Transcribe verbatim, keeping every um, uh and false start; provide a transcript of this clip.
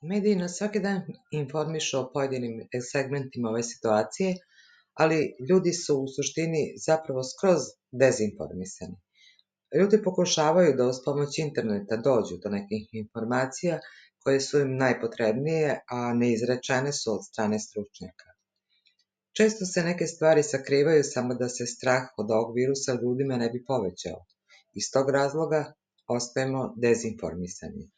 Mediji nas svaki dan informišu o pojedinim segmentima ove situacije, ali ljudi su u suštini zapravo skroz dezinformisani. Ljudi pokušavaju da uz pomoć interneta dođu do nekih informacija koje su im najpotrebnije, a neizrečene su od strane stručnjaka. Često se neke stvari sakrivaju samo da se strah od ovog virusa ljudima ne bi povećao. Iz tog razloga ostajemo dezinformisani.